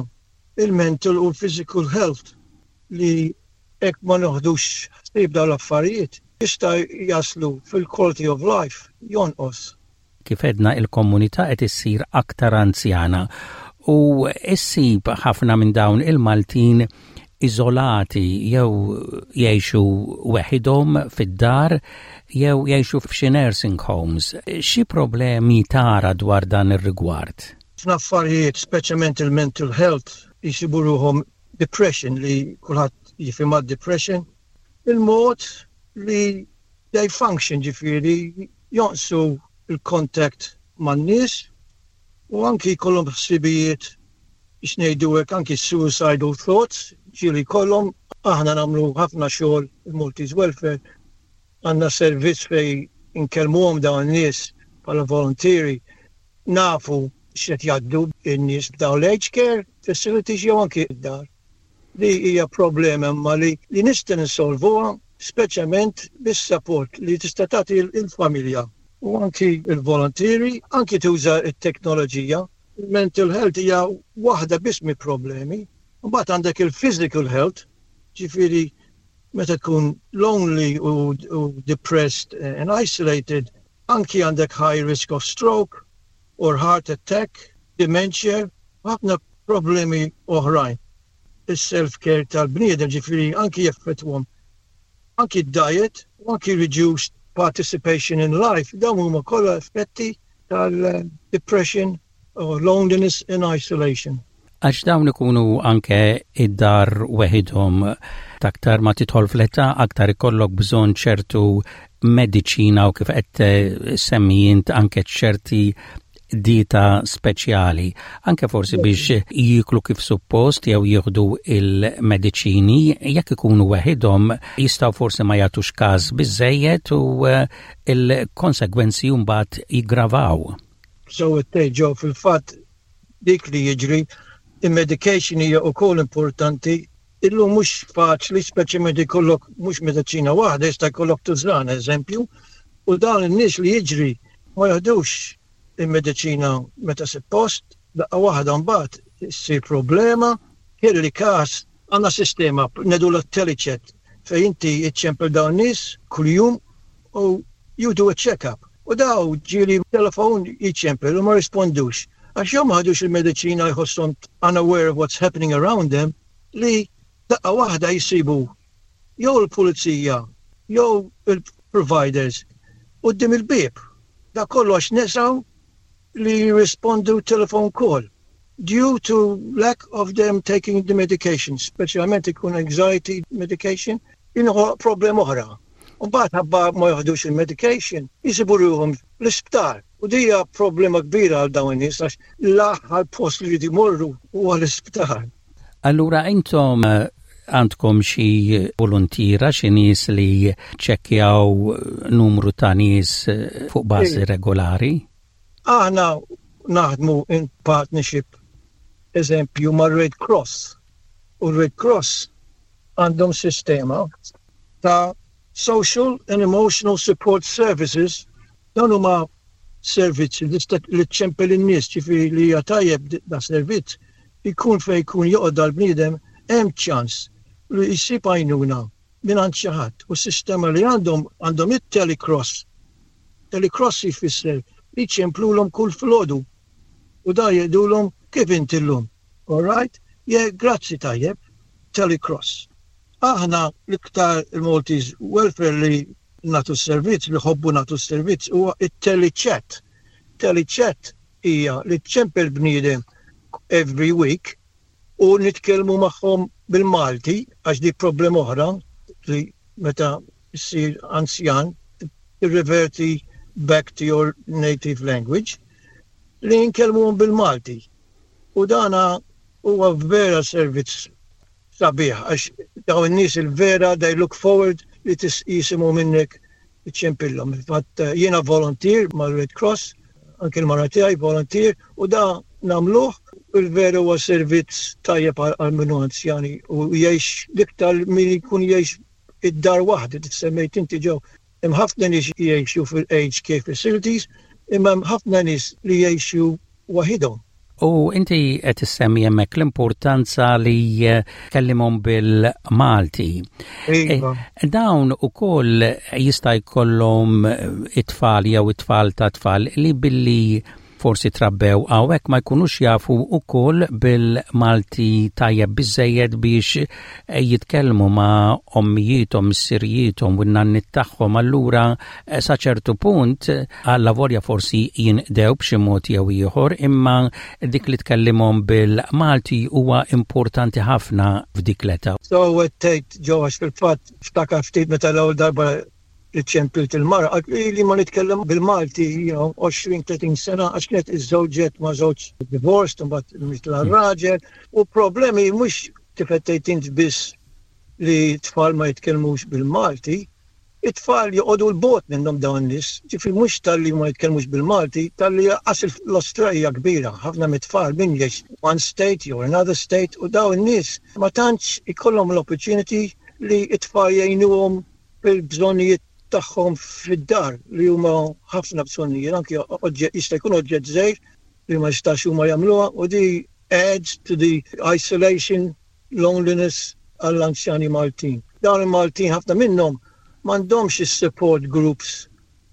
il-mental u l-physical health li hekk ma noħdux ħsieb dawn l-affarijiet jista' jaslu fil-quality of life jonqos. Kif għedna il-komunità qed issir aktar anzjana u issib ħafna minn dawn il-Maltin iżolati jew jgħixu weħidhom fid-dar jew jgħixu f'xi nursing homes. Xi problemi tara dwar dan ir-rigward? Ħafna affarijiet, speċjalment il-mental health, jsibu ruħhom depression li kulħadd jifhimha depression, il-mod li they function ġifieri jonqsu l-contact man-nies u anki jkollhom ħsibijiet biex ngħidu hekk anki suicidal thoughts ġieli jkollhom. Aħna nagħmlu ħafna xogħol il-Maltese Welfare għandna servizz fejn inkellmuhom dawn in-nies bħala volontieri nafu x'qed jgħaddu n-nies b'dawn l-aged care facilities jew anki d-dar. Li hija problema imma li li nista' ninsolvuha speċjalment bis-support li tista' tagħti l-familja u anki l-volontieri, anki tuża t-teknoloġija. Il-mental health hija waħda biss mill-problemi. Imbagħad għandek il-physical health, ġifieri meta tkun lonely u, u depressed and isolated, anki għandek high risk of stroke or heart attack, dementia, ħafna problemi oħrajn. Is-self-care tal-bniedem ġifieri anki jeffettwhom anki d-diet u anki reduced participation in life, dawn huma kollha effetti tal-depression or loneliness and isolation. Għax dawn ikunu anke id-dar weħidhom aktar ma tidħol fl-età aktar ikollok bżonn ċertu mediċina u kif qed semmi int anke ċerti dieta speċjali, anke forsi biex jieklu kif suppost jew jieħdu il-mediċini, jekk ikunu weħidhom jistgħu forsi ma jagħtux każ biżejjed u eh, il-konsegwenzi mbagħad jiggravaw. So tgħid ġew fil-fatt dik li jiġri, il-medication hija wkoll importanti Illum mhux faċli, speċjalment ikollok mhux mediċina waħda, jista' jkollok tużana eżempju, u dawn in-nies li jiġri ma jaħdux il-mediċina meta suppost, daqqa waħda mbagħad issir problema, kelli każ għandna sistema ngħidulha telechat fejn inti iċċempel dawn nies kuljum u you do a check-up. U daw ġieli telefon jiċċempel u ma rispondux. Għax jew ma ħadux il-mediċina jħosshom unaware of what's happening around them li daqqa waħda jsibu jew il-pulizija jew il-providers quddiem il-bieb. Dak kollu għax nesaw li jirrispondu telephone call due to lack of them taking the medication, speċjalment ikun anxiety medication, jinħoloq problem oħra. U mbagħad ħabba ma joħdux il-medication, jisibu ruhom l-isptar. U dija problema kbira għal dawn in-nies għax l-aħħar post li jridu jmorru huwa l-isptar. Allura intom eh, għandkom xi volontiera, xi nies li ċekkjaw numru ta' nies eh, fuq bażi regolari? Aħna naħdmu in partnership eżempju ma' Red Cross. U Red Cross għandhom sistema ta' social and emotional support services dawn huma servizzi li ċċempel in-nies ġifieri li hija tajjeb da servizz ikun fejn jkun joqgħod dal-bniedem hemm ċans li jsib għajnuna mingħand xi ħadd u s-sistema li għandhom għandhom it-telecross. Telecross jfisser li jċemplulhom kull filgħodu u da jgħidulhom kif inti llum. All right? Yeah, grazzi tajjeb. Telecross. Aħna l-iktar il-Maltese Welfare li nagħtu s-servizz, li ħobbu nagħtu s-servizz huwa it-telechat. Telechat hija li ċempel bniedem every week u nitkellmu magħhom bil-Malti għax dik problema oħra li meta ssir anzjan tirreverti back to your native language li nkellmuhom bil-Malti. U dana huwa vera servizz sabiħ għax dawn in-nies il-vera they look forward li jisimgħu minnek iċċempillhom. Fatt eh, jiena volunteer mal-Red Cross, anke l-mara tiegħi volunteer u da nagħmluh il-vera huwa servizz tajjeb għal minnu anzjani u jgħix l-iktar min jkun jgħix id-dar waħdi li semmejt inti ġew. Hemm ħafna nies jgħixu fil-aged care facilities, imma hemm ħafna nies li jgħixu waħidhom. U inti qed issemmi hemmhekk l-importanza li tkellimhom bil-Malti. Iva. E, dawn ukoll jista' jkollhom it-tfal jew it-tfal ta' tfal li billi forsi trabbew hawnhekk ma jkunux jafu wkoll bil-Malti tajjeb biżżejjed biex eh, jitkellmu ma' ommijiethom, missirijiethom u n-nanniet tagħhom allura eh, sa ċertu punt allavolja forsi jinqdew b'xi mod jew ieħor imma dik li tkellimhom bil-Malti huwa importanti ħafna f'dik l-età. So tgħid ġo għax fil-fatt ftakar ftit meta l-ewwel darba li ċempilt il-mara qaltli ili ma nitkellem bil-Malti you know 20 30 sena għax kienet iżżewġet ma' żewġ divorced imbagħad mitla raġel u problemi mhux kif qed tgħid int biss li t-tfal ma jitkellmux bil-Malti, it-tfal joqogħdu 'l bogħod minnhom dawn in-nies, ġifieri mhux talli ma jitkellmux bil-Malti, talli lanqas l-Awstralja kbira, ħafna mit-tfal min jgħix one state jew another state u dawn in-nies ma tantx ikollhom l-opportunity li t-tfal jgħinuhom fil-bżonnijiet tagħhom fid-dar li huma ħafna bżonnijiet, anki oġġett jista' jkun oġġett żgħir li ma jistax huma jagħmluha u di adds to the isolation, loneliness għall-anzjani Maltin. Dawn il-Maltin ħafna minnhom m'għandhomx is-support groups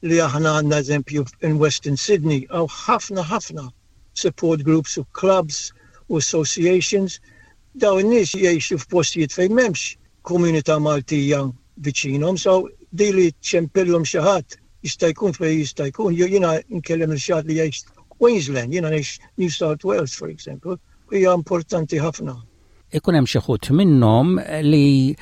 li aħna għandna eżempju in Western Sydney hawn ħafna ħafna support groups u clubs u associations. Dawn in-nies jgħixu f'postijiet fejn m'hemmx komunità Maltija viċinhom, so di li ċempillhom xi ħadd jista' jkun fejn jista' jkun, jew jiena nkellem lil xi ħadd li jgħix Queensland, jiena ngħix New South Wales for example, hija importanti ħafna. Ikun hemm xi ħut minnhom li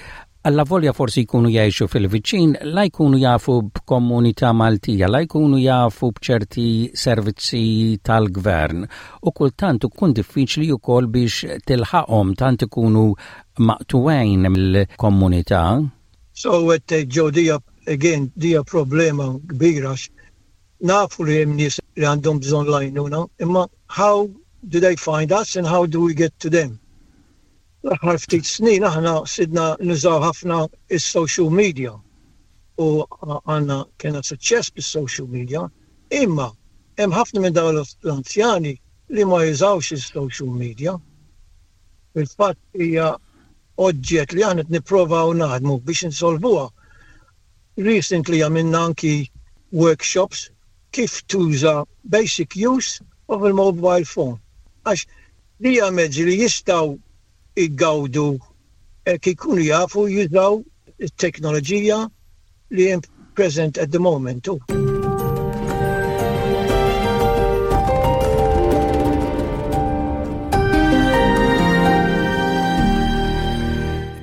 allavolja forsi jkunu jgħixu fil-viċin, la jkunu jafu b'komunità Maltija, la jkunu jafu b'ċerti servizzi tal-gvern u kultant ikun diffiċli wkoll biex tilħaqhom tant ikunu maqtugħin mill-komunità. So qed tgħid Joe dija again dija problema kbira għax nafu li hemm nies li għandhom bżonn l-għajnuna imma how do they find us and how do we get to them? L-aħħar ftit snin aħna sidna nużaw ħafna is-social media u għandna kena suċċess bis-social media imma hemm ħafna minn dawn l-anzjani li ma jużawx is-social media. Fil-fatt hija oġġett li aħna qed nipprovaw naħdmu biex insolvuha. Recently għamilna anki workshops kif tuża basic use of a mobile phone. Għax li hija mezzi li jistgħu jgawdu hekk ikunu jafu jużaw it-teknoloġija li hemm present at the moment.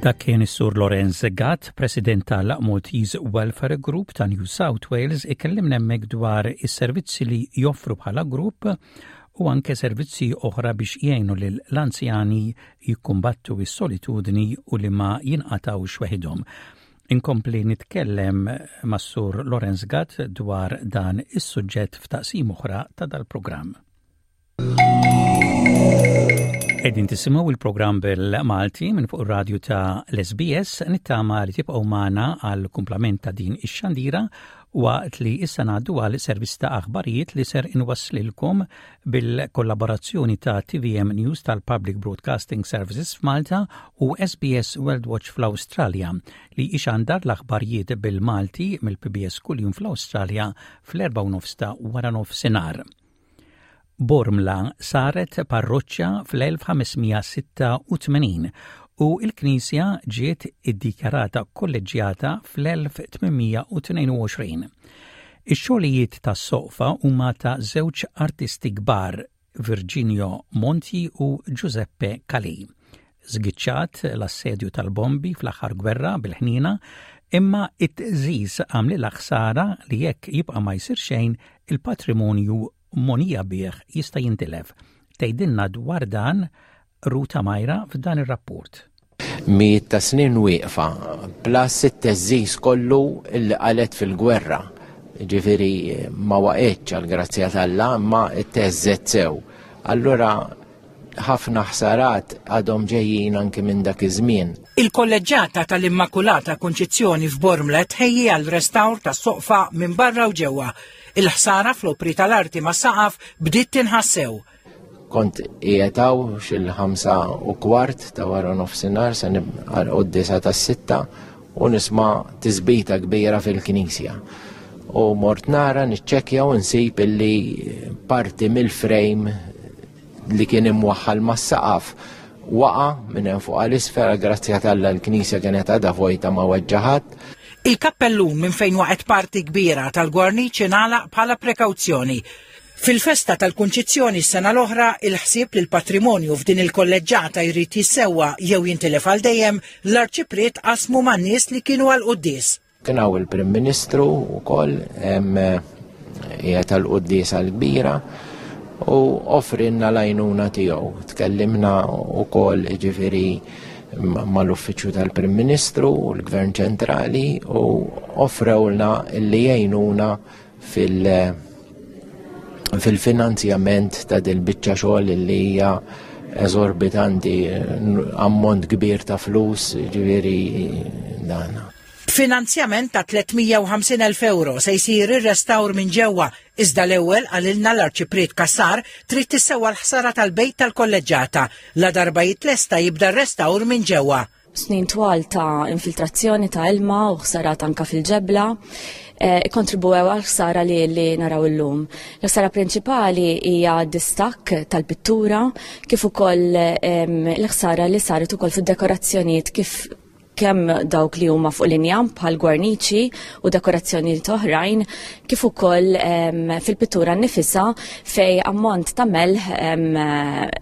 Dak kien is-Sur Lorenz Gatt, President tal-Maltese Welfare Group ta' New South Wales, ikellimna hemmhekk dwar is-servizzi li joffru bħala grupp u anke servizzi oħra biex jgħinu lil l-anzjani jikkumbattu s-solitudni u li ma jinqatgħux weħidhom. Inkompli nitkellem mas-Sur Lorenz Gatt dwar dan is-suġġett f'taqsim oħra ta' dal-programm. Qegħdin tisimgħu il-programm bil-Malti minn fuq ir-radju ta' l-SBS nittama li tibqgħu magħna għal kumplament ta' din ix-xandira waqt li issa ngħaddu għal servizz ta' aħbarijiet li ser inwasslilkom bil-kollaborazzjoni ta' TVM News tal-Public Broadcasting Services f'Malta u SBS World Watch fl-Awstralja li ixandar l-aħbarijiet bil-Malti mill-PBS kuljum fl-Awstralja fl-4 nofs ta' wara nofsinhar. Bormla saret parroċċa fl-1586 u l-knisja ġiet iddikjarata kolleġġjata fl-1822. Ix-xogħlijiet tas-soqfa huma ta' żewġ artisti kbar, Virginio Monti u Giuseppe Calì. Żgiċċat l-assedju tal-bombi fl-aħħar gwerra bil-ħniena, imma it-tqżiż għamlilha ħsara li jekk jibqa' ma jsir xejn, il-patrimonju mogħnija bih jista' jintilef. Tgħidilna dwar dan Ruta Majra f'dan ir-rapport. Mijiet ta' snin wieqfa, plus it-teżżiż kollu li qalet fil-gwerra. Ġifieri ma waqgħetx għall-grazzja t'Alla, imma tteżżet sew. Allura. Ħafna ħsarat għadhom ġejjin anki minn dak iż-żmien. Il-Kolleġġjata tal-Immakulata Kunċizzjoni f'Bormla tħejji għal restawr tas-soqfa minn barra u ġewwa. Il-ħsara fl-opri tal-arti mas-saqaf bdiet tinħass sew. Kont qiegħed hawn xil-5:15 ta' wara nofsinhar se nibqa' quddiesa tas-sitta u nisma' tisbita kbira fil-knisja. U mort nara niċċekkja u nsib illi parti mill-frame li kien imwaħħal mas-saqaf waqa' minn hemm fuq għal isfel, grazzja t'Alla l-knisja kienet għadha vojta ma weġġa' ħadd. Il-kappellun minn fejn waqgħet parti kbira tal-gwarniċ ingħalaq bħala prekawzjoni. Fil-festa tal-Kunċizzjoni s-sena l-oħra, il-ħsieb li l-patrimonju f'din il-kolleġġata jrid jissewwa jew jintilef għal dejjem, l-Arċipriet qasmu man-nies li kienu għall-quddies. Kien hawn il-Prim Ministru wkoll qiegħed għall-quddiesa l-kbira u offrinna l-għajnuna tiegħu. Tkellimna wkoll jiġifieri mal-Uffiċċju tal-Prim Ministru u l-Gvern Ċentrali u offrewlna li jgħinuna fil- fil-finanzjament ta' dil-biċċa xogħol li hija eżorbitanti, ammont kbir ta' flus, ġifieri dan. B'finanzjament ta' 350,000 ewro se jsir ir-restawr minn ġewwa, iżda l-ewwel qalilna l-Arċipriet Cassar trid tissewwa l-ħsara tal-bejt tal-Kolleġġata. Ladarba jitlesta jibda r-restawr minn ġewwa. Snin twal ta' infiltrazzjoni ta' ilma u ħsarat anka fil-ġebla eh, ikkontribwew għal ħsara li, li naraw illum. L-ħsara prinċipali hija distakk tal-pittura kif ukoll ehm, l-ħsara li saret ukoll fid-dekorazzjonijiet kif kemm dawk li huma fuq l-injam bħal gwarniċi u dekorazzjonijiet oħrajn, kif ukoll ehm, fil-pittura nnifisha fej ammont ta' melħ ehm,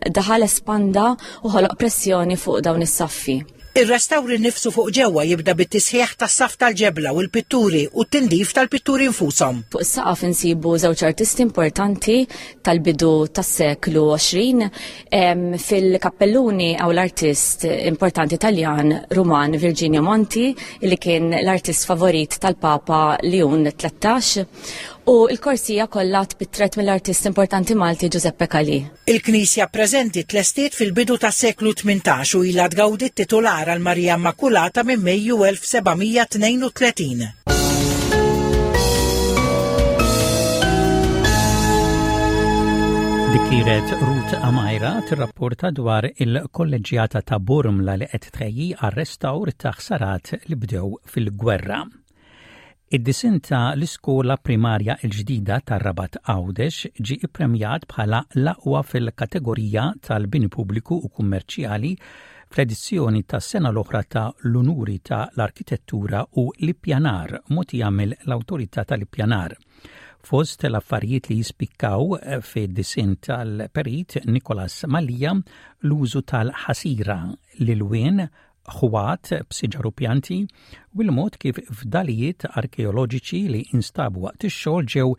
daħal espanda u ħoloq pressjoni fuq dawn is-saffi. Ir-restawr innifsu fuq ġewwa jibda bit-tisħiħ tas-saff tal-ġebla u l-pitturi u t-tindif tal-pitturi nfushom. Fuq is-saqaf insibu żewġ artisti importanti tal-bidu tas-seklu 20. Fil-kappelluni hawn l-artist importanti Taljan Ruman Virginio Monti li kien l-artist favorit tal-Papa Ljun 13 u l-korsija kollha tpittret mill-artist importanti Malti Giuseppe Calì. Il-knisja preżenti tlestiet fil-bidu tas-seklu 18 u ilha tgawdi t-titular għal Marija Immakulata minn Mejju 1732. Dik kienet Ruth Amajra tirrapporta dwar il-kolleġġjata ta' Bormla li qed tħejji għar-restawr ta' ħsarat li bdew fil-gwerra. Id-disinn ta' l-iskola primarja l-ġdida tar-Rabat Għawdex ġie ippremjat bħala l-aqwa fil-kategorija tal-bini pubbliku u kummerċjali fl-edizzjoni tas-sena l-oħra ta' l-Unuri ta' l-Arkitettura u l-Ippjanar mogħtija mill-Awtorità tal-Ippjanar. Fost l-affarijiet li jispikkaw fid-disinn tal-Perit Nicholas Mallia l-użu tal-ħasira, l-ilwien, ħwat b'siġar u pjanti u l-mod kif fdalijiet arkeoloġiċi li instabu waqt ix-xogħol ġew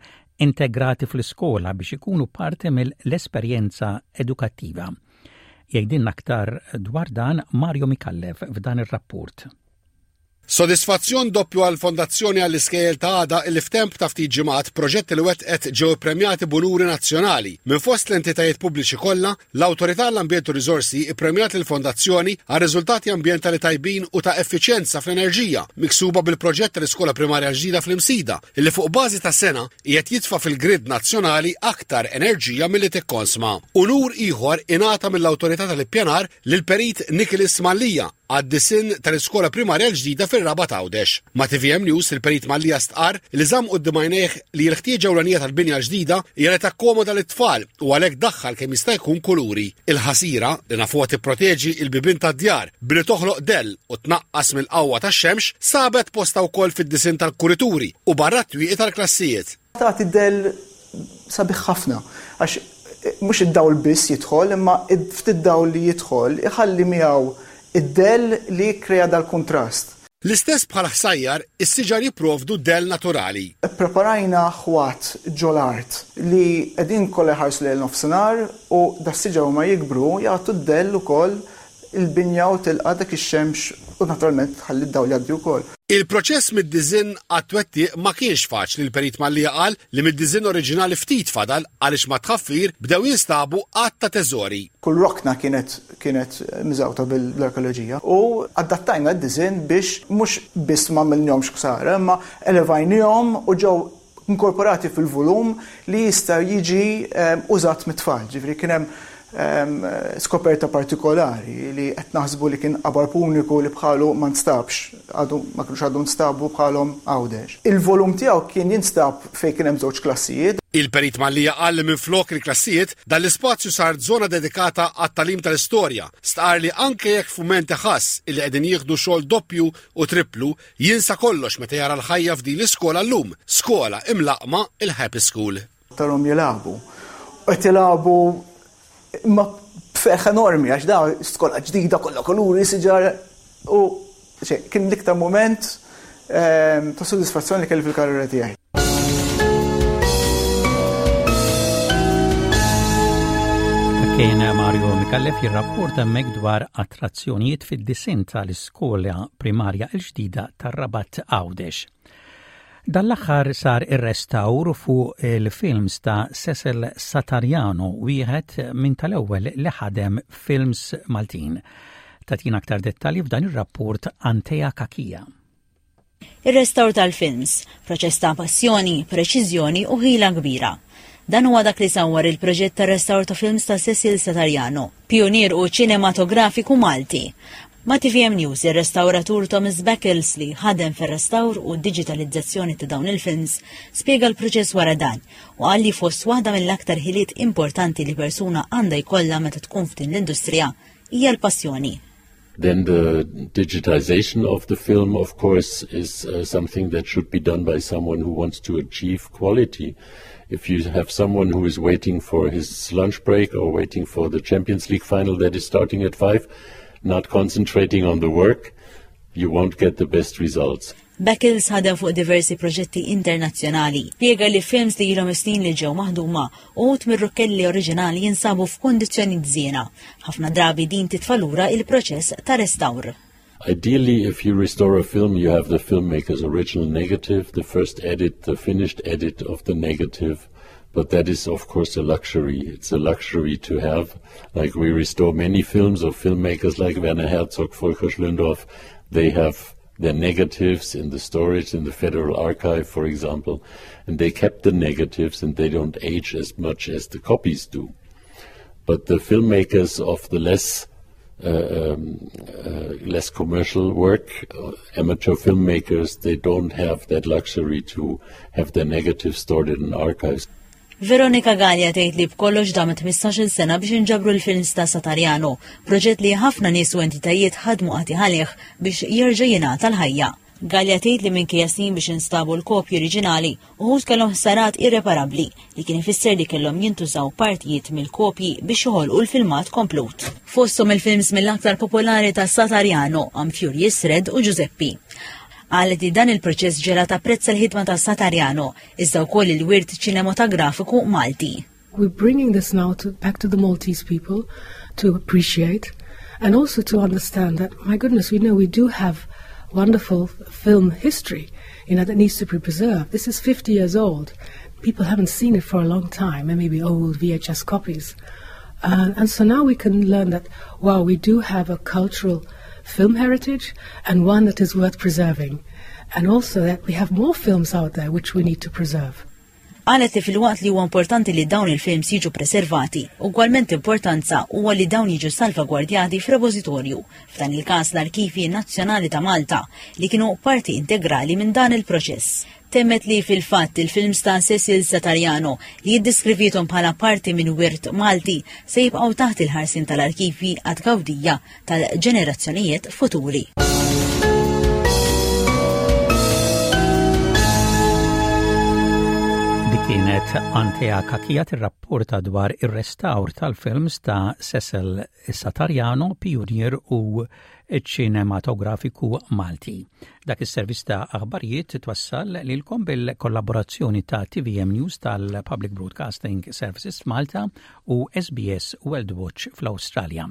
integrati fl-iskola biex ikunu parti mill-esperjenza edukattiva. Jgħidilna aktar dwar dan Mario Micallef f'dan ir-rapport. Sodisfazzjon doppju għall-Fondazzjoni għall-Iskejjel ta' Għada illi f'temp ta' ftit ġimgħat proġetti li wettqet ġew ippremjati b'unuri nazzjonali. Minn fost l-entitajiet pubbliċi kollha, L-Awtorità għall-Ambjent u Riżorsi ippremjat lill-Fondazzjoni għal riżultati ambjentali tajbin u ta' effiċjenza fl-enerġija miksuba bil-proġett tal-iskola primarja l-ġdida fl-Imsida, illi fuq bażi ta' sena qiegħed jitfa' fil-grid nazzjonali aktar enerġija milli tikkonsma. Unur ieħor ingħata mill-Awtorità tal-Ippjanar lill-Perit Nicholas Mallia għad-disinn tal-iskola primarja l-ġdida fir-Rabat Għawdex. Ma' tvm News, il-Perit Mallia stqarr li żamm quddiem għajnejh li l-ħtieġa ewlenija tal-binja l-ġdida hija li takkomoda lit-tfal u għalhekk daħħal kemm jista' jkun kuluri. Il-ħasira, li nafuha tipproteġi l-bibien tad-djar billi toħloq dell u tnaqqas mill-qawwa tax-xemx, sabet postha wkoll fid-disinn tal-kurituri u barra t-twieqi tal-klassijiet. Tagħti dell sabiħ ħafna għax mhux id-dawl biss jidħol imma ftit dawl li jidħol iħalli miegħu id-dell li jikkrea dal-kuntrast. L-istess bħal ħsajjar, is-siġar jipprovdu dell naturali. Ippreparajna ħwat ġol-art li qegħdin kollha jħarsu lejn nofsinhar u das-siġar huma jikbru jagħtu d-dell ukoll il-binja u tilqa' dak ix-xemx u naturalment tħalli d-dawl jgħaddi wkoll. Il-proċess mid-diżinn għat-twettiq ma kienx faċli l-Perit Mallia qal li mid-diżinn oriġinali ftit fadal għaliex mat-tħaffir bdew jinstabu għadd ta' teżori. Kull rokna kienet kienet miżgħuta bl-arkeoloġija u adattajna d-diżinn biex mhux biss m'għamilnihomx ħsara imma elevajnihom u ġew inkorporati fil-volum li jista' jiġi użat mit-tfal. Ġifieri kien hemm skoperta partikolari li qed naħsbu li kien qabar puniku li bħalu ma nstabx, għadu ma kinux għadu nstabu bħalhom Għawdex. Il-volum tiegħu kien jinstab fejn kien hemm żewġ klassijiet. Il-Perit Mallia qal li minflok il-klassijiet, dan l-ispazju sar żona dedikata għat-tagħlim tal-istorja. Stqarr li anke jekk f'mumenti ħass illi qegħdin jieħdu xogħol doppju u tripplu, Jinsa kollox meta jara l-ħajja f'din l-iskola llum, skola imlaqqma il-Happy School. Tarhom jilagħbu. Qed jilagħbu imma b'ferħ enormi għax da skola ġdida kollha kuluri, siġar u kien l-iktar mument ehm, ta' sodisfazzjon li kelli fil-karriera tiegħi. Kien Mario Mikallef jirrapporta hemmhekk dwar attrazzjonijiet fid-disinn tal-iskola primarja l-ġdida tar-Rabat Għawdex. Dan l-aħħar sar ir-restawr fuq il-films ta' Cecil Satariano, wieħed minn tal-ewwel li ħadem films Maltin. Tatina aktar dettalji f'dan ir-rapport Antea Kakija. Ir-restawr tal-films, proċess ta' passjoni, preċiżjoni u ħila kbira. Dan huwa dak li sawwar il-proġett tar-restawr ta' films ta' Cecil Satariano, pijunier u ċinematografiku Malti. Ma' TVM News, ir-restawratur Thomas Beckles li ħadem fir-restawr u d-diġitalizzazzjoni ta' dawn il-films spjega l-proċess wara dan u qal li fost waħda mill-aktar ħiliet importanti li persuna għandha jkollha meta tkun f'din l-industrija hija l-passjoni. Then the digitization of the film, of course, is uh, something that should be done by someone who wants to achieve quality. If you have someone who is waiting for his lunch break or waiting for the Champions League final that is starting at five, not concentrating on the work, you won't get the best results. Beckles ħadem fuq diversi proġetti internazzjonali. Spjega li films li ilhom is-snin li ġew maħduma uħud mir-rukkelli oriġinali jinsabu f'kundizzjoni żiena. Ħafna drabi din titfa' lura il-proċess ta' restawr. Ideally, if you restore a film, you have the filmmaker's original negative, the first edit, the finished edit of the negative. But that is, of course, a luxury. It's a luxury to have. Like we restore many films of filmmakers like Werner Herzog, Volker Schlöndorff. They have their negatives in the storage in the Federal Archive, for example, and they kept the negatives and they don't age as much as the copies do. But the filmmakers of the less uh, um, uh, less commercial work, uh, amateur filmmakers, they don't have that luxury to have their negatives stored in archives. Veronika Galea tgħid li b'kollox damet 15-il sena biex inġabru l-films ta' Satariano, proġett li ħafna nies u entitajiet ħadmu qatigħ għalih biex jerġa' jingħata l-ħajja. Galea tgħid li minkejja snin biex instabu l-kopji oriġinali, uħud kellhom ħsarat irreparabbli li kien ifisser li kellhom jintużaw partijiet mill-kopji biex joħolqu l-filmat komplut. Fosthom il-films mill-aktar popolari ta' Satariano, I'm Furious Red u Giuseppe. Qalet li dan il-proċess ġela tapprezza l-ħidma ta' Satariano iżda wkoll il-wirt ċinematografiku Malti. We're bringing this now to, back to the Maltese people to appreciate and also to understand that, my goodness, we know we do have wonderful film history, you know, that needs to be preserved. This is 50 years old. People haven't seen it for a long time, and maybe old VHS copies. Uh, and so now we can learn that, wow, we do have a cultural film heritage and one that is worth preserving. And also that we have more films out there which we need to preserve. Qalet li filwaqt li huwa importanti li dawn il-films jiġu preservati, ugwalment importanza huwa li dawn jiġu salvagwardjati f'repożitorju, f'dan il-każ l-Arkivji Nazzjonali ta' Malta, li kienu parti integrali minn dan il-proċess. Temmet li fil-fatt il-films ta' Cecil Satariano li jiddeskriviethom bħala parti minn wirt Malti se jibqgħu taħt il-ħarsien tal-arkivji għat-tgawdija tal-ġenerazzjonijiet futuri. Dik kienet Antea Kakija tirrapporta dwar ir-restawr tal-films ta' Cecil Satariano, pijunier u ċinematografiku Malti. Dak is-servizz ta' aħbarijiet twassal lilkom bil-kollaborazzjoni ta' TVM News tal-Public Broadcasting Services Malta u SBS World Watch fl-Awstralja.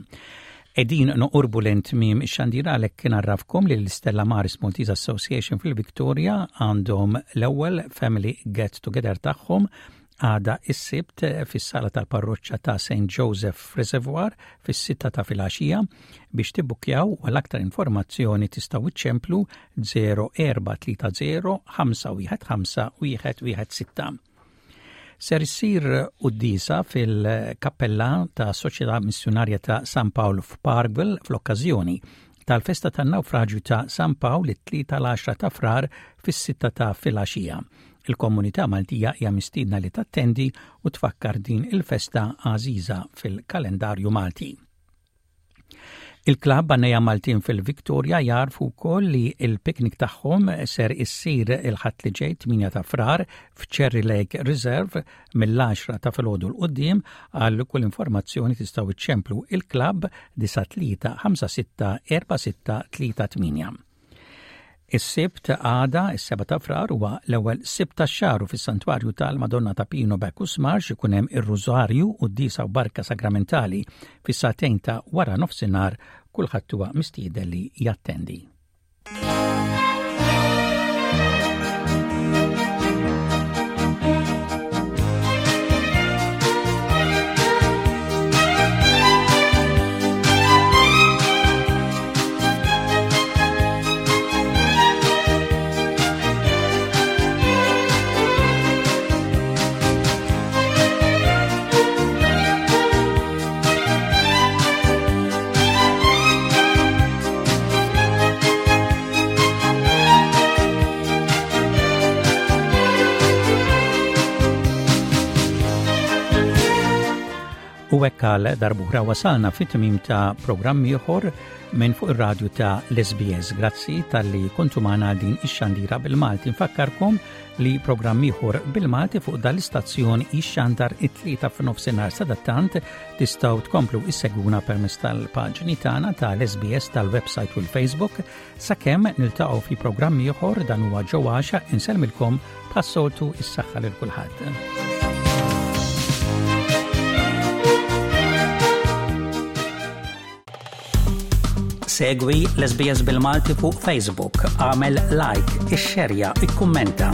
Qegħdin noqorbu lejn tmiem ix-xandir għalhekk ngħarrafkom li l-Stella Maris Maltese Association fil-Victoria għandhom l-ewwel Family Get Together tagħhom għada is-Sibt fis-sala tal-parroċċa ta' St. Joseph Reservoir fis-sitta ta' filgħaxija. Biex tibbukkjaw u għal aktar informazzjoni tistgħu iċċemplu 0430 515 116. Ser issir quddiesa fil-kappella ta' Soċjetà Missjunarja ta' San Pawl f'Parkville fl-okkażjoni tal-festa tan-nawfraġju ta' San Pawl it-Tlieta l-10 ta' Frar fis-sitta ta' filgħaxija. Il-komunità Maltija hija mistiedna li tattendi u tfakkar din il-festa għażiża fil-kalendarju Malti. Il-klabb Għannejja Maltin fil-Victoria jagħrfu wkoll li l-piknik tagħhom ser issir il-Ħadd li ġej 8 ta' Frar f'Cherry Lake Reserve mill-10 ta' filgħodu 'l quddiem. Għal kull informazzjoni tistgħu iċċemplu il-klabb 93 56 46 38. Is-Sibt għada, is-7 ta' Frar, huwa l-ewwel Sibt tax-xahar u fis-Santwarju tal-Madonna ta' Pino Bacchus Marx ikun hemm ir-Rużarju, quddiesa u barka sagramentali fis-sagħtejn ta' wara nofsinhar. Kulħadd huwa mistieden li jattendi. U hekk għal darb'oħra wasalna fit-tmiem ta' programm ieħor minn fuq ir-radju ta' l-SBS. Grazzi talli kontu magħna għal din ix-xandira bil-Malti. Nfakkarkom li programm ieħor bil-Malti fuq dal-istazzjon jixxandar it-tlieta f'nofsinhar sadattant tistgħu tkomplu issegwuna permezz tal-paġni tagħna tal-SBS tal-website u l-Facebook sakemm niltaqgħu fi programm ieħor dan huwa ġo għaxa insellmilkom bħas-soltu is-saħħa lil kulħadd. Segwi l-SBS bil-Malti fuq Facebook, għamel like, ixxerja, ikkummenta.